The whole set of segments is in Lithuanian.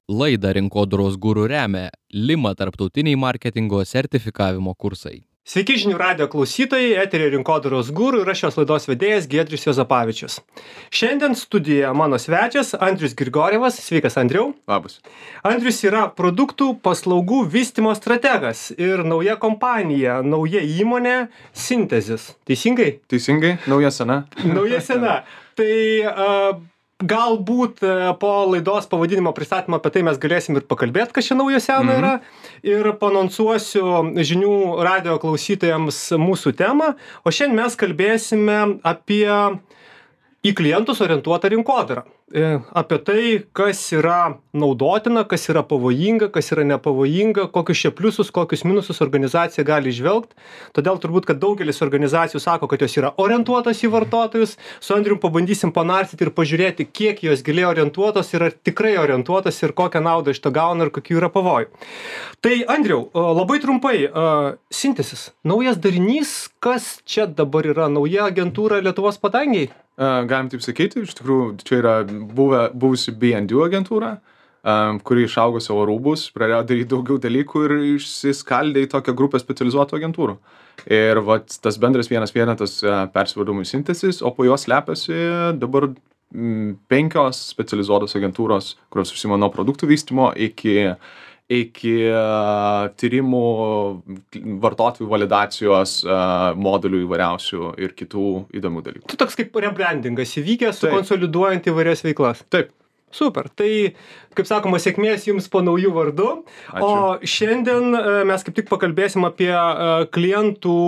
Laidą Rinkodaros guru remia Lima tarptautiniai marketingo sertifikavimo kursai. Sveiki žinių radijo klausytojai, eteryje Rinkodaros guru ir aš šios laidos vedėjas Giedrius Juozapavičius. Šiandien studijoje mano svečias Andrius Grigorjevas. Sveikas, Andriau. Labas. Andrius yra produktų paslaugų vystymo strategas ir nauja kompanija, nauja įmonė Synthesis. Teisingai? Teisingai, nauja sena. Nauja sena. Tai galbūt po laidos pavadinimo pristatymo apie tai mes galėsim ir pakalbėti, kas čia naujo seno yra. Ir panonsuosiu žinių radijo klausytojams mūsų temą. O šiandien mes kalbėsime apie į klientus orientuotą rinkodarą. Apie tai, kas yra naudotina, kas yra pavojinga, kas yra nepavojinga, kokius čia pliusus, kokius minusus organizacija gali žvelgti. Todėl turbūt, kad daugelis organizacijų sako, kad jos yra orientuotos į vartotojus. Su Andrium pabandysim panarstyti ir pažiūrėti, kiek jos giliai orientuotos ir ar tikrai orientuotos ir kokią naudą iš to gauna ir kokių yra pavojų. Tai Andriau, labai trumpai, Synthesis, naujas darinys, kas čia dabar yra, nauja agentūra Lietuvos padangiai? Galim taip sakyti, iš tikrųjų čia yra buvusi B&U agentūra, kuri išaugo savo rūbus, pradėjo daryti daugiau dalykų ir išsiskaldė į tokią grupę specializuotų agentūrų. Ir vat, tas bendras vienas vienetas persivadino į Synthesis, o po jos slepiasi dabar 5 specializuotos agentūros, kurios užsiima nuo produktų vystymo iki tyrimų, vartotojų validacijos, modulių įvairiausių ir kitų įdomių dalykų. Tu toks kaip rebrandingas įvykęs, sukonsoliduojant įvairias veiklas. Taip. Super. Tai, kaip sakoma, sėkmės jums po naujų vardų. Ačiū. O šiandien mes kaip tik pakalbėsim apie klientų,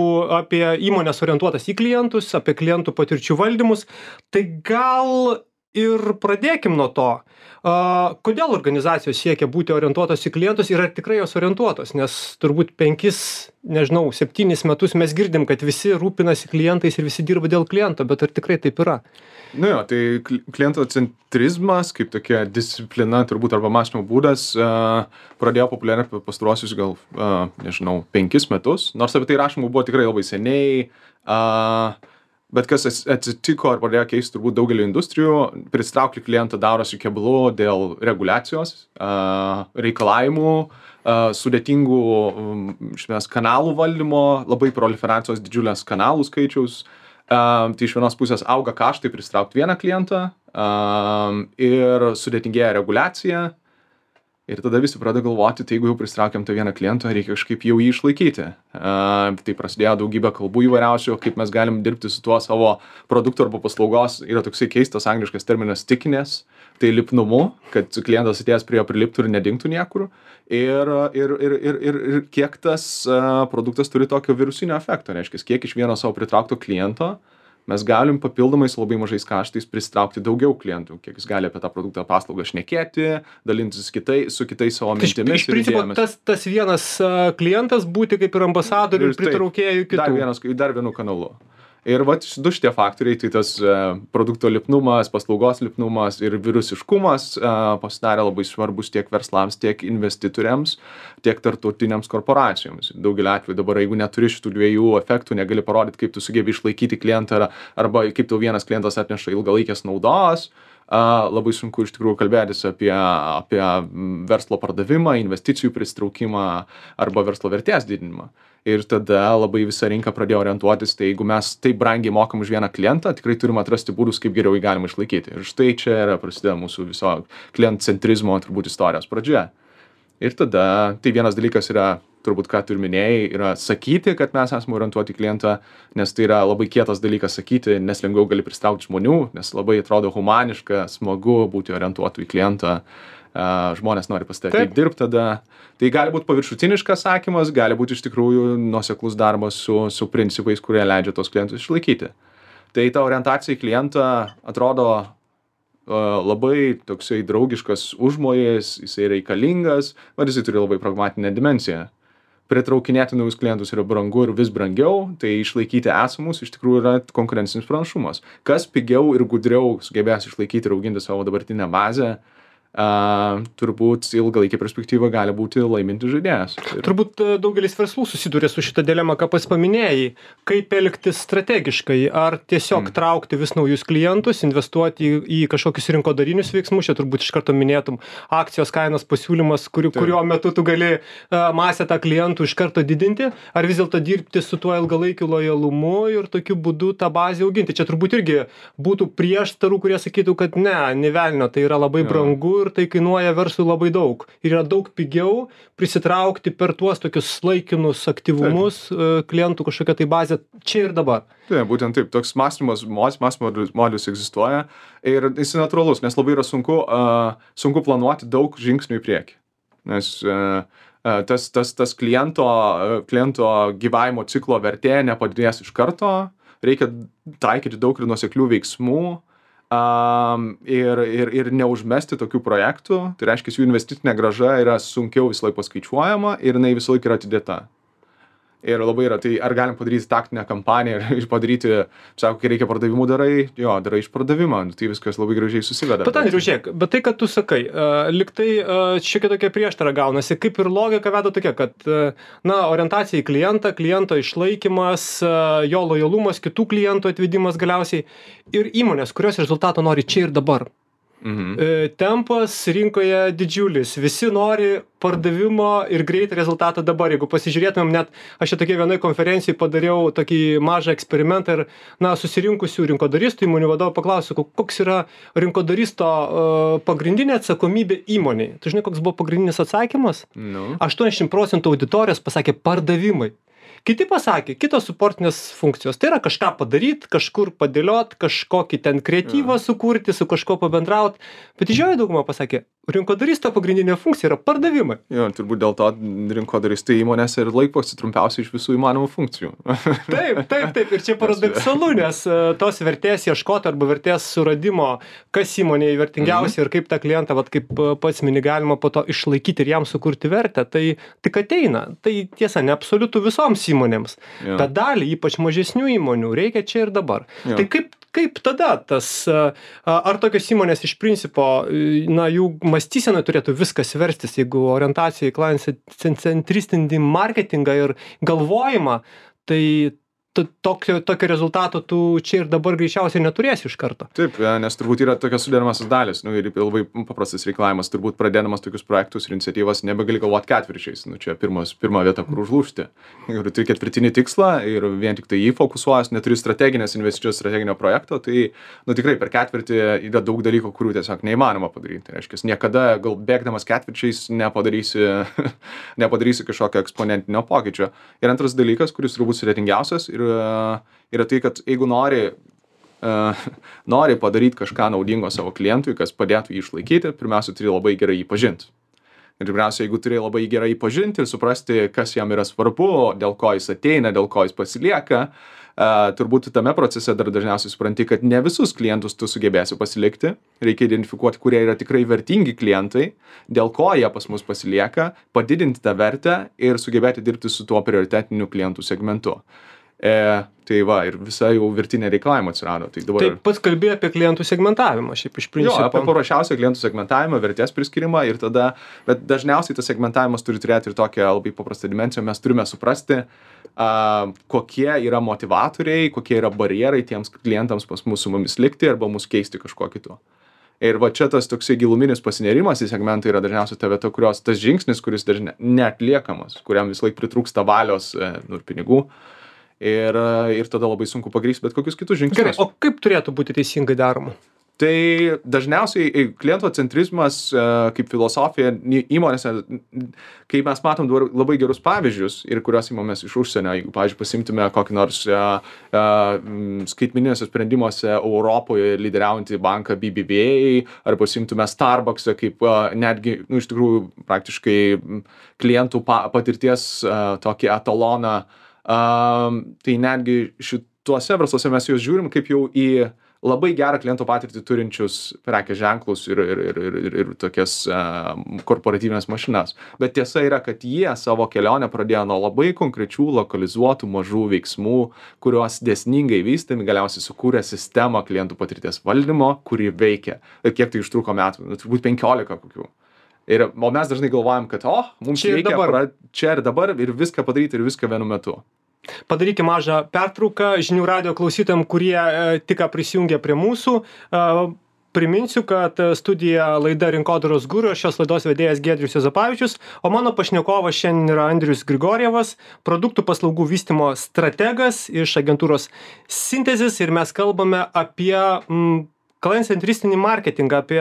apie įmonės orientuotas į klientus, apie klientų patirčių valdymus. Tai gal ir pradėkim nuo to. Kodėl organizacijos siekia būti orientuotos į klientus ir ar tikrai jos orientuotos? Nes turbūt 7 metus mes girdim, kad visi rūpinasi klientais ir visi dirba dėl kliento, bet ar tikrai taip yra? Nu jo, tai kliento centrizmas, kaip tokia disciplina turbūt arba mąstymo būdas, pradėjo populiarėti pastaruosius gal, 5 metus, nors apie tai rašymų buvo tikrai labai seniai, bet kas atsitiko ar pradėjo keisti turbūt daugelį industrijų, pritraukti klientą darosi keblu dėl reguliacijos, reikalavimų, sudėtingų kanalų valdymo, labai proliferacijos didžiulės kanalų skaičiaus. Tai iš vienos pusės auga kaštai pritraukti vieną klientą ir sudėtingėja reguliacija. Ir tada visi pradeda galvoti, tai jeigu jau pritraukiam tą vieną klientą, reikia kažkaip jau jį išlaikyti. Tai prasidėjo daugybė kalbų įvairiausių, kaip mes galim dirbti su tuo savo produktu arba paslaugos. Yra toksai keistas angliškas terminas stickiness, tai lipnumu, kad klientas atėjęs prie jo priliptų ir nedingtų niekur. Ir kiek tas produktas turi tokio virusinio efekto, reiškia, kiek iš vieno savo pritraukto kliento mes galim papildomai su labai mažais kaštais pritraukti daugiau klientų, kiek jis gali apie tą produktą paslaugą šnekėti, dalintis su kitais savo mintimis. Iš principo, tas vienas klientas būti kaip ir ambasadorių ir pritraukėjų kitų. Dar vienu kanalu. Ir vat du šitie faktoriai, tai tas produkto lipnumas, paslaugos lipnumas ir virusiškumas pasidarė labai svarbus tiek verslams, tiek investitoriams, tiek tarptautinėms korporacijoms. Daugelį atvejų dabar, jeigu neturi šitų dviejų efektų, negali parodyti, kaip tu sugebi išlaikyti klientą arba kaip tau vienas klientas atneša ilgalaikės naudos, labai sunku iš tikrųjų kalbėtis apie verslo pardavimą, investicijų pritraukimą arba verslo vertės didinimą. Ir tada labai visa rinka pradėjo orientuotis, tai jeigu mes taip brangiai mokam už vieną klientą, tikrai turim atrasti būdus, kaip geriau jį galima išlaikyti. Ir štai čia yra prasideda mūsų viso klientcentrizmo turbūt istorijos pradžia. Ir tada, tai vienas dalykas yra, turbūt ką tu ir minėjai, yra sakyti, kad mes esame orientuoti į klientą, nes tai yra labai kietas dalykas sakyti, nes lengviau gali pritraukti žmonių, nes labai atrodo humaniška, smagu būti orientuotu į klientą. Žmonės nori pas tave dirbti tada. Tai gali būti paviršutiniškas sakymas, gali būti iš tikrųjų nuoseklus darbas su principais, kurie leidžia tos klientus išlaikyti. Tai ta orientacija į klientą atrodo labai toksai draugiškas užmojis, jisai reikalingas, bet jisai turi labai pragmatinę dimensiją. Pritraukinėti naujus klientus yra brangu ir vis brangiau, tai išlaikyti esamus iš tikrųjų yra konkurencinis pranašumas. Kas pigiau ir gudriau sugebės išlaikyti ir auginti savo dabartinę bazę, turbūt ilgalaikė perspektyva gali būti laimintis žaidėjas. Turbūt daugelis verslų susiduria su šitą dilemą, ką pats paminėjai. Kaip elgtis strategiškai? Ar tiesiog traukti vis naujus klientus, investuoti į kažkokius rinkodarinius veiksmus? Čia turbūt iš karto minėtum akcijos kainos pasiūlymas, kurio metu tu gali masę tą klientų iš karto didinti. Ar vis dėlto dirbti su tuo ilgalaikiu lojalumu ir tokiu būdu tą bazę auginti? Čia turbūt irgi būtų prieštarų, kurie sakytų, kad ne velnio, tai yra labai brangu ir tai kainuoja verslui labai daug. Ir yra daug pigiau prisitraukti per tuos tokius laikinus aktyvumus klientų kažkokią tai bazę čia ir dabar. Taip, būtent taip. Toks mąstymas modelis egzistuoja ir jis natūralus, nes labai yra sunku planuoti daug žingsnių į priekį. Nes tas kliento gyvavimo ciklo vertė nepadidės iš karto, reikia taikyti daug ir nuoseklių veiksmų, ir neužmesti tokių projektų, tai reiškia, jų investicinė grąža yra sunkiau visą laiką paskaičiuojama ir jinai visą laiką yra atidėta. Ir labai yra, tai ar galim padaryti taktinę kampaniją ir padaryti, sako, kai reikia pardavimų darai iš pardavimą, tai viskas labai gražiai susiveda. Bet Andriau, žiūrėk, bet tai, kad tu sakai, lyg tai šiokia tokia prieštara gaunasi, kaip ir logika veda tokia, kad orientacija į klientą, kliento išlaikymas, jo lojalumas, kitų klientų atvedimas galiausiai ir įmonės, kurios rezultato nori čia ir dabar. Tempas rinkoje didžiulis, visi nori pardavimo ir greitą rezultatą dabar. Jeigu pasižiūrėtumėm, net aš čia tokia vienoj konferencijai padariau tokį mažą eksperimentą ir susirinkusių rinkodaristų įmonių vadovų paklausiau, koks yra rinkodaristo pagrindinė atsakomybė įmonei. Tu žinai, koks buvo pagrindinis atsakymas? 80% auditorijos pasakė pardavimai. Kiti pasakė, kitos suportinės funkcijos. Tai yra kažką padaryt, kažkur padėliot, kažkokį ten kreatyvą sukurti, su kažko pabendraut. Bet didžioji dauguma pasakė, rinkodaristo pagrindinė funkcija yra pardavimai. Jo, turbūt dėl to rinkodaristai įmonėse ir laikosi trumpiausiai iš visų įmanomų funkcijų. Taip. Ir čia paradoksalu, nes tos vertės ieškoti arba vertės suradimo, kas įmonėje vertingiausia ir kaip tą klientą, kaip pats mini, galima po to išlaikyti ir jam sukurti vertę, tai tik ateina. Tai tiesa, ne absoliutų visoms įmonėms, bet dalį, ypač mažesnių įmonių, reikia čia ir dabar. Tai kaip tada ar tokios įmonės iš principo, jų mąstysena turėtų viskas verstis, jeigu orientacija į client-centristinį marketingą ir galvojimą, tai tokio rezultato tu čia ir dabar greičiausiai neturėsi iš karto. Taip, nes turbūt yra tokios sudėdamasios dalis, ir labai paprastas reikalavimas, turbūt pradėdamas tokius projektus ir iniciatyvas nebegali galvoti ketvirčiais, čia pirma vieta, kur užlūžti. Ir turi ketvirtinį tikslą ir vien tik tai jį fokusuojas, neturi strateginės investicijos, strateginio projekto, tai tikrai per ketvirtį yra daug dalykų, kurių tiesiog neįmanoma padaryti. Tai reiškia, niekada gal bėgdamas ketvirčiais nepadarysi kažkokio eksponentinio pokyčio. Ir antras dalykas, kuris turbūt sudėtingiausias, yra tai, kad jeigu nori padaryti kažką naudingo savo klientui, kas padėtų jį išlaikyti, pirmiausia, turi labai gerai jį pažinti. Ir pirmiausia, jeigu turi labai gerai jį pažinti ir suprasti, kas jam yra svarbu, dėl ko jis ateina, dėl ko jis pasilieka, turbūt tame procese dar dažniausiai supranti, kad ne visus klientus tu sugebėsi pasilikti. Reikia identifikuoti, kurie yra tikrai vertingi klientai, dėl ko jie pas mus pasilieka, padidinti tą vertę ir sugebėti dirbti su tuo prioritetiniu klientų segmentu. Tai ir visa jau virtinė reikalavimo atsirado. Tai dabar... Taip, pats kalbėjai apie klientų segmentavimą, šiaip iš principo. Apie paprasčiausią klientų segmentavimą, vertės priskirimą ir tada, bet dažniausiai tas segmentavimas turi turėti ir tokią labai paprastą dimensiją. Mes turime suprasti, kokie yra motivatoriai, kokie yra barjerai tiems klientams pas mus su mumis likti arba mus keisti kažkuo kitu. Ir čia tas toksai giluminis pasinerimas į segmentą yra dažniausiai ta vieta, tas žingsnis, kuris dažnai neatliekamas, kuriam vis laik pritrūksta valios ir pinigų. Ir tada labai sunku pagrįsti bet kokius kitus žingsnius. Gerai, o kaip turėtų būti teisingai daroma? Tai dažniausiai klientocentrizmas kaip filosofija įmonėse, kai mes matom labai gerus pavyzdžius ir kurios įmomės iš užsienio, jeigu, pavyzdžiui, pasimtume kokį nors skaitmeniniuose sprendimuose Europoje lyderiaujantį banką BBVA, ar pasimtume Starbucksą kaip netgi, iš tikrųjų, praktiškai klientų patirties tokį etaloną, tai netgi šituose versluose mes juos žiūrim kaip jau į labai gerą kliento patirtį turinčius prekės ženklus ir tokias korporatyvinės mašinas. Bet tiesa yra, kad jie savo kelionę pradėjo nuo labai konkrečių lokalizuotų mažų veiksmų, kuriuos dėsningai vystami galiausiai sukūrė sistemą klientų patirties valdymo, kuri veikia. Ir kiek tai užtruko metų? Turbūt 15 kokių. O mes dažnai galvojam, kad mums reikia čia ir dabar ir viską padaryti ir viską vienu metu. Padarykime mažą pertrauką žinių radijo klausytojams, kurie tik prisijungė prie mūsų. Priminsiu, kad studija laida Rinkodaros guru, šios laidos vedėjas Giedrius Juozapavičius, o mano pašnekovas šiandien yra Andrius Grigorjevas, produktų paslaugų vystymo strategas iš agentūros Synthesis, ir mes kalbame apie klientcentristinį marketingą, apie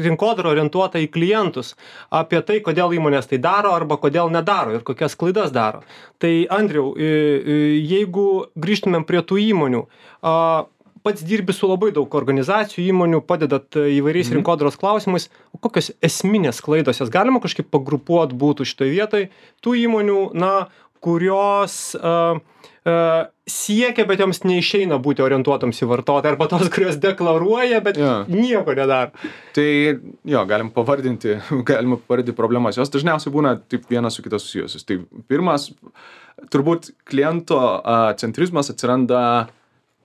rinkodarą orientuotą į klientus, apie tai, kodėl įmonės tai daro arba kodėl nedaro ir kokias klaidas daro. Tai Andriau, jeigu grįžtumėm prie tų įmonių, pats dirbi su labai daug organizacijų, įmonių, padedat įvairiais rinkodaros klausimais, o kokios esminės klaidos, jas galima kažkaip pagrupuoti būtų šitoje vietoje, tų įmonių, kurios siekia, bet joms neišeina būti orientuotams į vartotoją, arba tos, kurios deklaruoja, bet nieko nedaro. Tai galim pavardinti problemas. Jos dažniausiai būna taip vienas su kitas susijusios. Tai pirmas, turbūt kliento centrizmas atsiranda,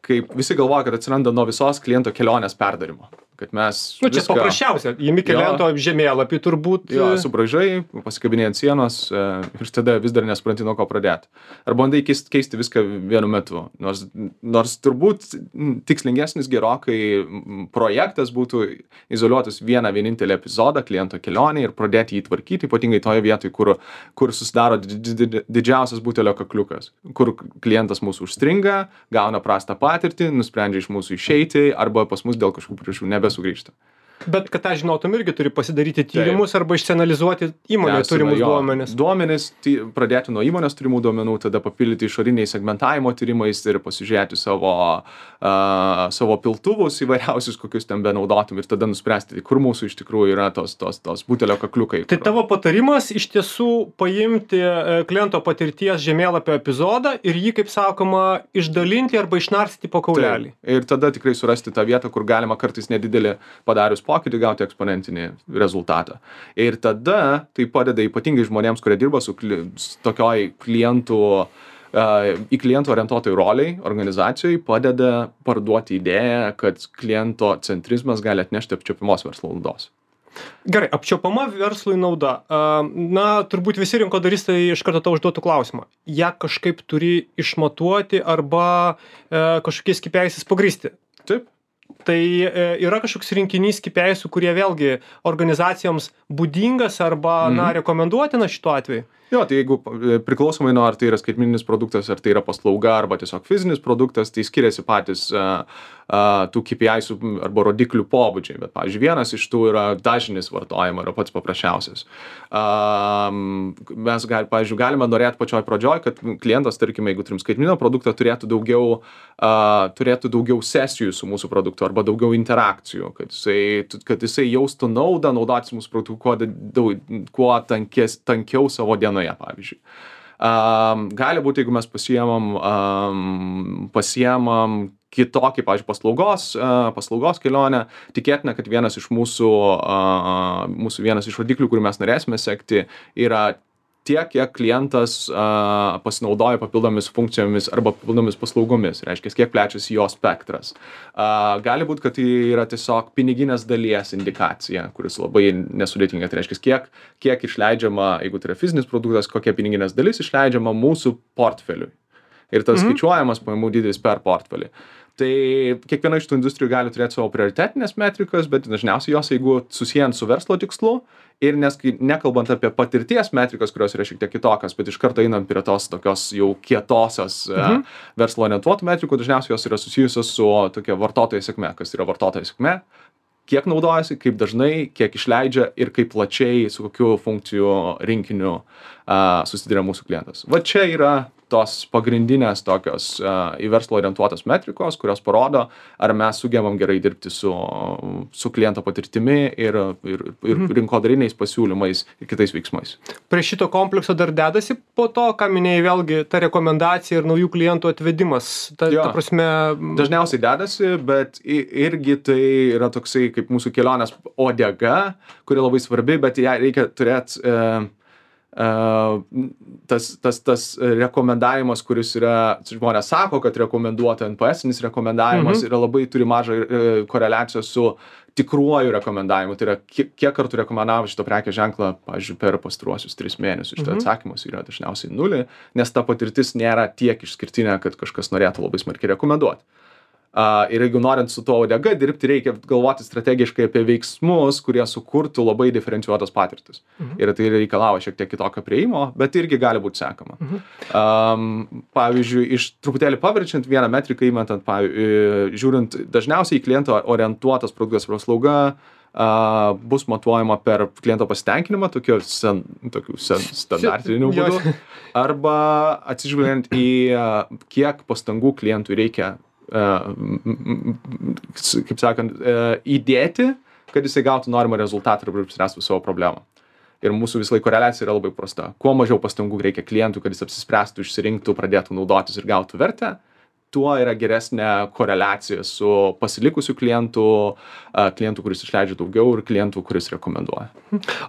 kaip visi galvoja, kad atsiranda nuo visos kliento kelionės perdarimo. Kad mes čia paprasčiausia, įmi kliento žemėlapį turbūt. Subraižai, pasikabinėjai ant sienos ir tada vis dar nesupranti, nuo ko pradėti. Ar bandai keisti viską vienu metu. Nors turbūt tikslingesnis gerokai projektas būtų izoliuotis vienintelį epizodą kliento kelionį ir pradėti jį tvarkyti, ypatingai toje vietoje, kur susidaro didžiausias butelio kakliukas, kur klientas mūsų užstringa, gauna prastą patirtį, nusprendžia iš mūsų išeiti arba pas mus dėl kažkokių priežasčių nebesugrįžta. Bet kad tą žinotum, irgi turi pasidaryti tyrimus arba išsianalizuoti įmonėje turimus duomenis. Duomenis, pradėti nuo įmonės turimų duomenų, tada papildyti išoriniais segmentavimo tyrimais ir pasižiūrėti savo piltuvus įvairiausius, kokius ten benaudotum ir tada nuspręsti, kur mūsų iš tikrųjų yra tos butelio kakliukai. Tai tavo patarimas iš tiesų paimti kliento patirties žemėlapio epizodą ir jį, kaip sakoma, išdalinti arba išnarstyti po kaulelį. Ir tada tikrai surasti tą vietą, kur galima kartais nedidelį padarius pokytį gauti eksponentinį rezultatą. Ir tada tai padeda ypatingai žmonėms, kurie dirba su tokioj į klientų orientuotai roliai organizacijai, padeda parduoti idėją, kad kliento centrizmas gali atnešti apčiuopiamos verslo naudos. Gerai, apčiuopama verslui nauda. Turbūt visi rinkodaristai iš karto tau užduotų klausimą. Ja kažkaip turi išmatuoti arba kažkokiais KPIs pagrįsti. Taip. Tai yra kažkoks rinkinys KPIs, kurie vėlgi organizacijoms būdingas arba rekomenduotina šituo atveju? Tai jeigu priklausomai nuo ar tai yra skaitmeninis produktas, ar tai yra paslauga, arba tiesiog fizinis produktas, tai skiriasi patys tų KPIs arba rodiklių pobūdžiai. Bet, pavyzdžiui, vienas iš tų yra dažnis vartojimo, yra pats paprasčiausias. Mes, pavyzdžiui, galime norėti pačioj pradžioj, kad klientas, tarkime, jeigu turim skaitmeninio produktą, turėtų daugiau sesijų su mūsų produktu arba daugiau interakcijų, kad jisai jaustų naudą naudotis mūsų produktu kuo tankiau savo dienoje, pavyzdžiui. Gali būti, jeigu mes pasiemam kitokį, pavyzdžiui, paslaugos kelionę, tikėtina, kad vienas iš mūsų vienas iš rodiklių, kurį mes norėsime sekti, yra tiek, kiek klientas pasinaudoja papildomis funkcijomis arba papildomis paslaugomis. Reiškia, kiek plečiasi jo spektras. Gali būti, kad tai yra tiesiog piniginės dalies indikacija, kuris labai nesudėtinga. Tai reiškia, kiek išleidžiama, jeigu tai yra fizinis produktas, kokia piniginės dalis išleidžiama mūsų portfeliui. Ir tas skaičiuojamas pajamų dydis per portfelį. Tai kiekviena iš tų industrijų gali turėti savo prioritetinės metrikas, bet dažniausiai jos, jeigu susijant su verslo tikslu ir nekalbant apie patirties metrikas, kurios yra šiek tiek kitokios, bet iš karto einant prie tos tokios jau kietosios verslo orientuotų metrikų, dažniausiai jos yra susijusios su tokia vartotojo sėkme. Kas yra vartotojo sėkme? Kiek naudojasi, kaip dažnai, kiek išleidžia ir kaip plačiai, su kokiu funkcijų rinkiniu susiduria mūsų klientas. Va čia yra tos pagrindinės tokios į verslą orientuotos metrikos, kurios parodo, ar mes sugebam gerai dirbti su kliento patirtimi ir rinkodariniais pasiūlymais ir kitais veiksmais. Prie šito komplekso dar dedasi po to, ką minėjai vėlgi, ta rekomendacija ir naujų klientų atvedimas. Ta prasme... Dažniausiai dedasi, bet irgi tai yra toksai kaip mūsų kelionės odega, kuri labai svarbi, bet ją reikia turėti tas rekomendavimas, kuris yra, žmonės sako, kad rekomenduota NPS-inis rekomendavimas yra labai turi mažą koreliaciją su tikruoju rekomendavimu. Tai yra, kiek kartų rekomendavo šito prekės ženklą, pavyzdžiui, per pastaruosius 3 mėnesius. Šitą atsakymas yra dažniausiai 0, nes ta patirtis nėra tiek išskirtinė, kad kažkas norėtų labai smarkiai rekomenduoti. Ir jeigu norint su to odega dirbti, reikia galvoti strategiškai apie veiksmus, kurie sukurtų labai diferencijuotas patirtis. Ir tai reikalavo šiek tiek kitokio prieimo, bet irgi gali būti sekama. Pavyzdžiui, iš truputėlį paverčiant vieną metriką įmetant, žiūrint dažniausiai į kliento orientuotas produktas ar paslauga, bus matuojama per kliento pasitenkinimą, tokiu standartiniu būdu, arba atsižvelgiant į kiek pastangų klientui reikia kaip sakant, įdėti, kad jisai gautų norimą rezultatą ir apspręstų savo problemą. Ir mūsų visą laiką koreliacija yra labai prasta. Kuo mažiau pastangų reikia klientui, kad jis apsispręstų, išsirinktų, pradėtų naudotis ir gautų vertę, tuo yra geresnė koreliacija su pasilikusiu klientu, kuris išleidžia daugiau ir klientu, kuris rekomenduoja.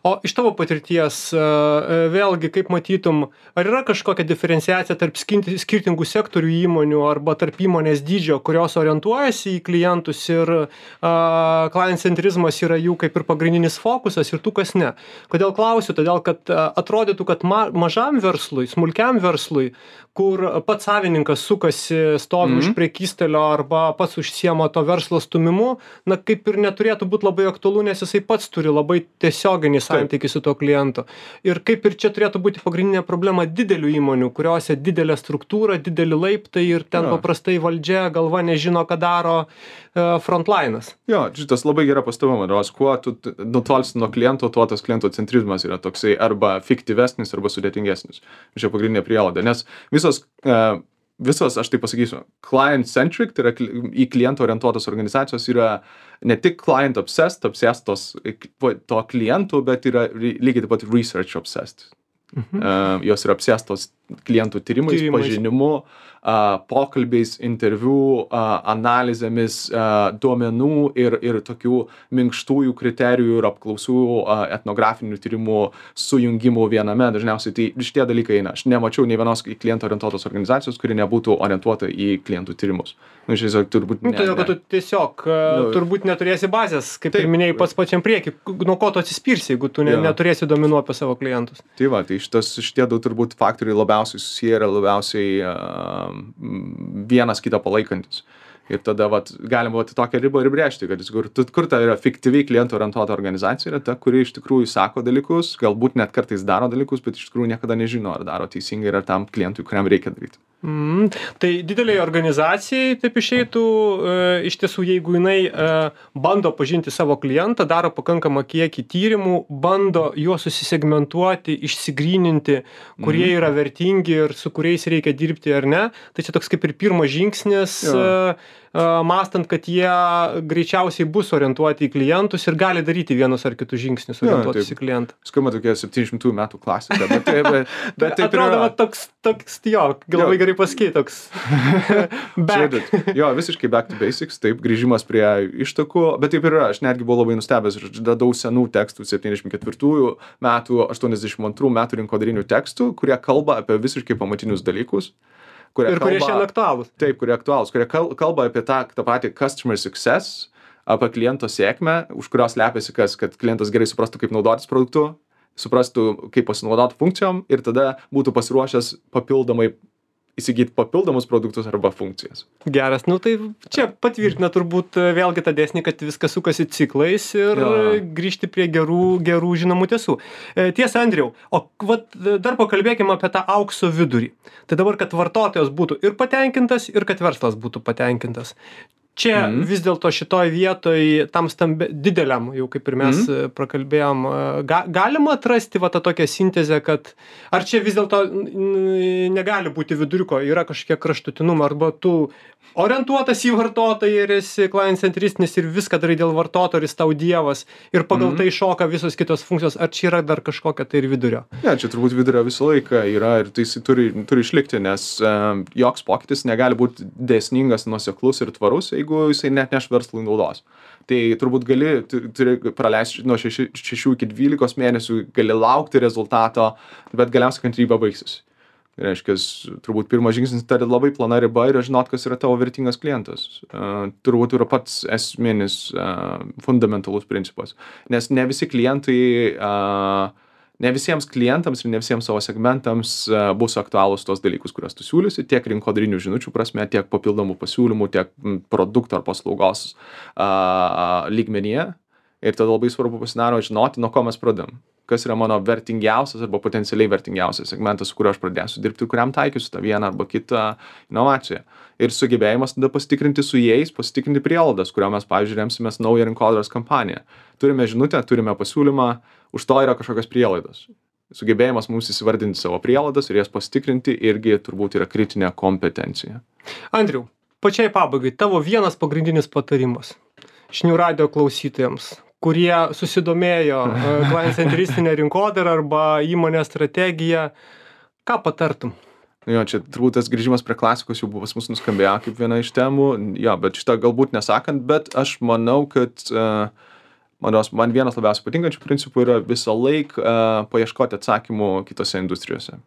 O iš tavo patirties, vėlgi, kaip matytum, ar yra kažkokia diferenciacija tarp skirtingų sektorių įmonių arba tarp įmonės dydžio, kurios orientuojasi į klientus ir klientcentrizmas yra jų kaip ir pagrindinis fokusas ir tų, kas ne? Kodėl klausiu? Todėl, kad atrodytų, kad mažam verslui, smulkiam verslui, kur pats savininkas sukasi, stovi už prekystalio arba pats užsiema to verslo stumimu, na kaip ir neturėtų būti labai aktualu, nes jisai pats turi labai tiesioginį santykį su to klientu. Ir kaip ir čia turėtų būti pagrindinė problema didelių įmonių, kuriuose didelė struktūra, dideli laiptai ir ten paprastai valdžia galva nežino, ką daro frontline'as. Jo, šitas labai gera pastaba, manos, kuo tu nutolsi nuo kliento, tuo tas kliento centrizmas yra toksai arba fiktyvesnis, arba sudėtingesnis. Čia pagrindinė prielaida, nes visos, aš tai pasakysiu, client-centric, tai yra į klientą orientuotos organizacijos yra ne tik client-obsessed, obsessed to klientų, bet yra lygiai taip pat research-obsessed. Jos yra obsessed klientų tyrimais, pažinimu, pokalbiais, interviu, analizėmis, duomenų ir tokių minkštųjų kriterijų ir apklausų, etnografinių tyrimų sujungimų viename. Dažniausiai tai šitie dalykai eina. Aš nemačiau nei vienos kliento orientuotos organizacijos, kuri nebūtų orientuota į klientų tyrimus. Turbūt todėl, kad tu tiesiog turbūt neturėsi bazės, kaip ir minėjai pats pačiam priekį. Nuo ko tu atsispirsi, jeigu tu neturėsi duomenų apie savo klientus? Tai va, tai šitie du turbūt faktoriai labiausiai susiję ir labiausiai vienas kitą palaikantis. Ir tada galima tokią ribą ir brėžti, kad kur ta yra fiktyviai klientų orientuota organizacija, yra ta, kuri iš tikrųjų sako dalykus, galbūt net kartais daro dalykus, bet iš tikrųjų niekada nežino, ar daro teisingai, ar tam klientui, kuriam reikia daryti. Tai dideliai organizacijai taip išeitų, iš tiesų, jeigu jinai bando pažinti savo klientą, daro pakankamą kiekį tyrimų, bando juos susisegmentuoti, išsigryninti, kurie yra vertingi ir su kuriais reikia dirbti ar ne, tai čia toks kaip ir pirmas žingsnis, mąstant, kad jie greičiausiai bus orientuoti į klientus ir gali daryti vienus ar kitus žingsnius orientuotis į klientą. Skamba tokia 700 metų klasika, bet taip atrodo, toks, jo, labai gerai pasakyti, toks back. Jo, visiškai back to basics, taip, grįžimas prie ištakų, bet taip yra, aš netgi buvau labai nustebęs, aš radau senų tekstų 74 metų, 82 metų rinkodarinių tekstų, kurie kalba apie visiškai pamatinius dalykus. Kurie šiandien aktualūs. Taip, kurie aktualūs, kurie kalba apie tą patį customer success, apie kliento sėkmę, už kurios slepiasi kad klientas gerai suprastų, kaip naudotis produktu, suprastų, kaip pasinaudoti funkcijom ir tada būtų pasiruošęs papildomai įsigyti papildomus produktus arba funkcijas. Geras, tai čia patvirtina turbūt vėlgi tą dėsnį, kad viskas sukasi ciklais ir grįžti prie gerų žinomų tiesų. Tiesa, Andriau, o dar pakalbėkime apie tą aukso vidurį. Tai dabar, kad vartotojas būtų ir patenkintas, ir kad verslas būtų patenkintas. Čia vis dėlto šitoj vietoj tam dideliam, jau kaip ir mes prakalbėjom, galima atrasti va tą tokią sintezę, kad ar čia vis dėlto negali būti viduriuko, yra kažkiek kraštutinumų, arba tu orientuotas į vartotoją ir esi client centristinis ir viską darai dėl vartotojo ir jis tau dievas ir pagal tai šoka visos kitos funkcijos, ar čia yra dar kažkokia tai ir vidurio? Ne, čia turbūt vidurio visą laiką yra ir tai jisai turi išlikti, nes joks pokytis negali būti dėsningas, nuoseklus ir tvarus, jeigu jisai net neš verslui naudos. Tai turbūt turi praleisti nuo 6 iki 12 mėnesių, gali laukti rezultato, bet galiausiai kantrybė baigsis. Tai reiškia, turbūt pirmas žingsnis tai labai plona riba ir žinot, kas yra tavo vertingas klientas. Turbūt yra pats esminis fundamentalus principas. Nes ne visi klientai, ne visiems klientams ir ne visiems savo segmentams bus aktualūs tos dalykus, kuriuos tu siūlysi, tiek rinkodarinių žinučių prasme, tiek papildomų pasiūlymų, tiek produkto ar paslaugos lygmenyje. Ir tada labai svarbu pasidaro žinoti, nuo ko mes pradedam. Kas yra mano vertingiausias arba potencialiai vertingiausias segmentas, su kuriuo aš pradėsiu dirbti, kuriam taikysiu tą vieną arba kitą inovaciją. Ir sugebėjimas tada pasitikrinti su jais, pasitikrinti prielaidas, kurio mes, pavyzdžiui, remsimės naują rinkodaros kampaniją. Turime žinutę, turime pasiūlymą, už to yra kažkokios prielaidos. Sugebėjimas mums įsivardinti savo prielaidas ir jas pasitikrinti irgi turbūt yra kritinė kompetencija. Andriau, pačiai pabaigai, tavo vienas pagrindinis patarimas žinių radijo klausytojams, kurie susidomėjo client centristinę rinkodarą arba įmonės strategiją, ką patartum? Jo, čia turbūt tas grįžimas prie klasikos jau buvo pas mus nuskambėjo kaip viena iš temų, jo, bet šitą galbūt nesakant, bet aš manau, kad man vienas labiausiai patinkančių principų yra visą laiką paieškoti atsakymų kitose industrijose.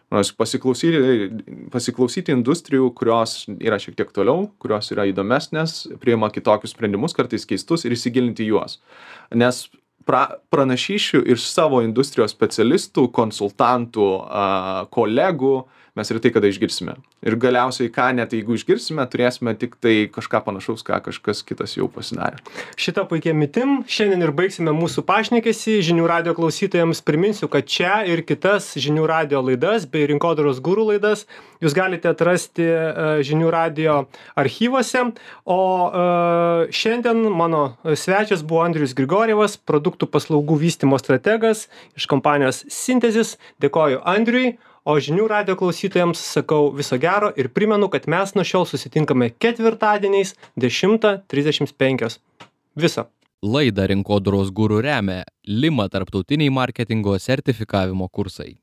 Pasiklausyti industrijų, kurios yra šiek tiek toliau, kurios yra įdomesnės, priima kitokius sprendimus, kartais keistus ir įsigilinti juos. Nes pranašyšių iš savo industrijos specialistų, konsultantų, kolegų mes ir tai kada išgirsime. Ir galiausiai, ką net jeigu išgirsime, turėsime tik tai kažką panašaus, ką kažkas kitas jau pasidarė. Šitą puikia mitim. Šiandien ir baigsime mūsų pašnekesį. Žinių radijo klausytojams priminsiu, kad čia ir kitas žinių radijo laidas bei rinkodaros guru laidas jūs galite atrasti žinių radijo archyvuose. O šiandien mano svečias buvo Andrius Grigorjevas, produktų paslaugų vystymo strategas iš kompanijos Synthesis. Dėkoju Andriui. O žinių radijo klausytojams sakau viso gero ir primenu, kad mes nuo šiol susitinkame ketvirtadieniais 10:35. Viso. Laidą Rinkodaros guru remia Lima tarptautiniai marketingo sertifikavimo kursai.